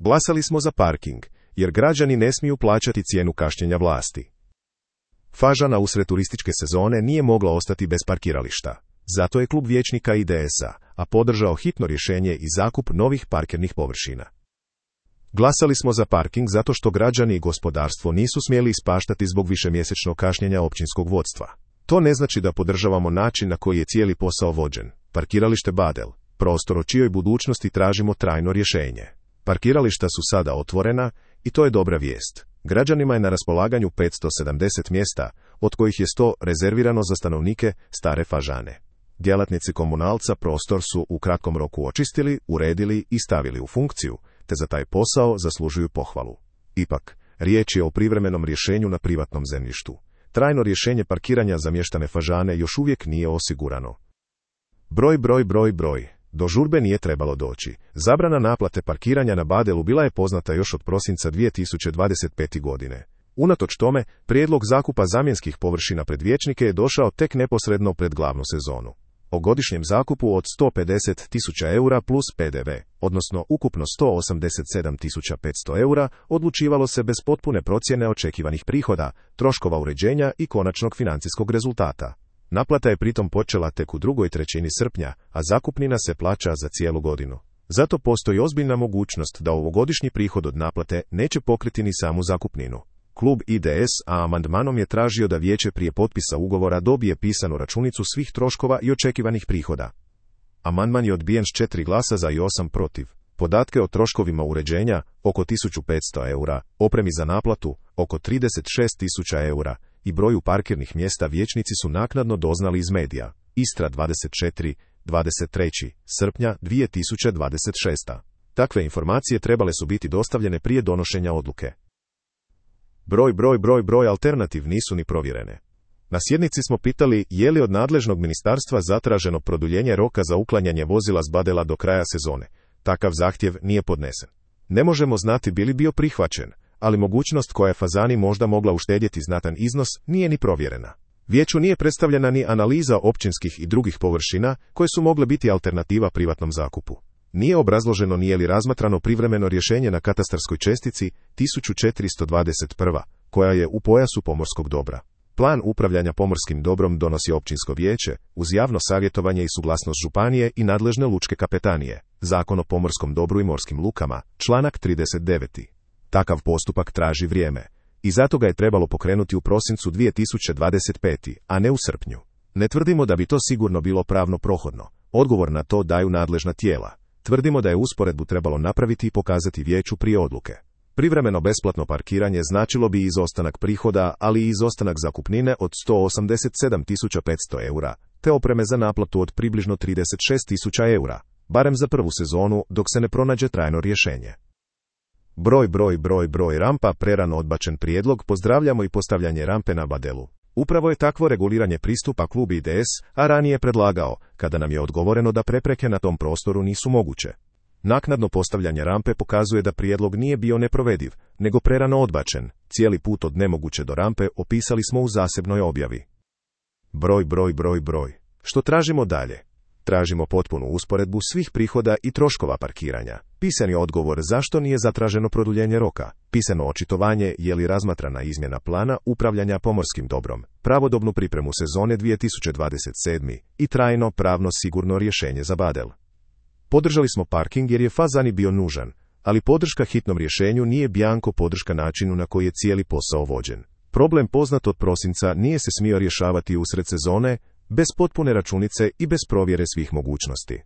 Glasali smo za parking, jer građani ne smiju plaćati cijenu kašnjenja vlasti. Fažana usred turističke sezone nije mogla ostati bez parkirališta. Zato je klub vijećnika IDS-a podržao hitno rješenje i zakup novih parkirnih površina. Glasali smo za parking zato što građani i gospodarstvo nisu smjeli ispaštati zbog višemjesečnog kašnjenja općinskog vodstva. To ne znači da podržavamo način na koji je cijeli posao vođen. Parkiralište Badel, prostor o čijoj budućnosti tražimo trajno rješenje. Parkirališta su sada otvorena i to je dobra vijest. Građanima je na raspolaganju 570 mjesta, od kojih je 100 rezervirano za stanovnike Stare Fažane. Djelatnici komunalca prostor su u kratkom roku očistili, uredili i stavili u funkciju, te za taj posao zaslužuju pohvalu. Ipak, riječ je o privremenom rješenju na privatnom zemljištu. Trajno rješenje parkiranja za mještane Fažane još uvijek nije osigurano. Broj. Do žurbe nije trebalo doći. Zabrana naplate parkiranja na Badelu bila je poznata još od prosinca 2025. godine. Unatoč tome, prijedlog zakupa zamjenskih površina pred vijećnike je došao tek neposredno pred glavnu sezonu. O godišnjem zakupu od 150.000 eura plus PDV, odnosno ukupno 187.500 eura, odlučivalo se bez potpune procjene očekivanih prihoda, troškova uređenja i konačnog financijskog rezultata. Naplata je pritom počela tek u drugoj trećini srpnja, a zakupnina se plaća za cijelu godinu. Zato postoji ozbiljna mogućnost da ovogodišnji prihod od naplate neće pokriti ni samu zakupninu. Klub IDS-a amandmanom je tražio da vijeće prije potpisa ugovora dobije pisanu računicu svih troškova i očekivanih prihoda. Amandman je odbijen s 4 glasa za i 8 protiv. Podatke o troškovima uređenja, oko 1500 eura, opremi za naplatu, oko 36.000 eura, i broju parkirnih mjesta vijećnici su naknadno doznali iz medija. Istra 24, 23. srpnja 2026. Takve informacije trebale su biti dostavljene prije donošenja odluke. Broj alternativ nisu ni provjerene. Na sjednici smo pitali je li od nadležnog ministarstva zatraženo produljenje roka za uklanjanje vozila s Badela do kraja sezone. Takav zahtjev nije podnesen. Ne možemo znati bi li bio prihvaćen, ali mogućnost koja je Fazani možda mogla uštedjeti znatan iznos nije ni provjerena. Vijeću nije predstavljena ni analiza općinskih i drugih površina koje su mogle biti alternativa privatnom zakupu. Nije obrazloženo nije li razmatrano privremeno rješenje na katastarskoj čestici 1421, koja je u pojasu pomorskog dobra. Plan upravljanja pomorskim dobrom donosi općinsko vijeće, uz javno savjetovanje i suglasnost županije i nadležne lučke kapetanije. Zakon o pomorskom dobru i morskim lukama, članak 39. Takav postupak traži vrijeme. I zato ga je trebalo pokrenuti u prosincu 2025. a ne u srpnju. Ne tvrdimo da bi to sigurno bilo pravno prohodno. Odgovor na to daju nadležna tijela. Tvrdimo da je usporedbu trebalo napraviti i pokazati vijeću prije odluke. Privremeno besplatno parkiranje značilo bi izostanak prihoda, ali i izostanak zakupnine od 187.500 eura, te opreme za naplatu od približno 36.000 eura, barem za prvu sezonu dok se ne pronađe trajno rješenje. Broj rampa, prerano odbačen prijedlog, pozdravljamo i postavljanje rampe na Badelu. Upravo je takvo reguliranje pristupa klub IDS-a ranije predlagao, kada nam je odgovoreno da prepreke na tom prostoru nisu moguće. Naknadno postavljanje rampe pokazuje da prijedlog nije bio neprovediv, nego prerano odbačen. Cijeli put od nemoguće do rampe opisali smo u zasebnoj objavi. Broj. Što tražimo dalje? Tražimo potpunu usporedbu svih prihoda i troškova parkiranja. Pisani odgovor zašto nije zatraženo produljenje roka. Pisano očitovanje je li razmatrana izmjena plana upravljanja pomorskim dobrom. Pravodobnu pripremu sezone 2027. i trajno pravno sigurno rješenje za Badel. Podržali smo parking jer je Fazani bio nužan, ali podrška hitnom rješenju nije bjanko podrška načinu na koji je cijeli posao vođen. Problem poznat od prosinca nije se smio rješavati usred sezone, bez potpune računice i bez provjere svih mogućnosti.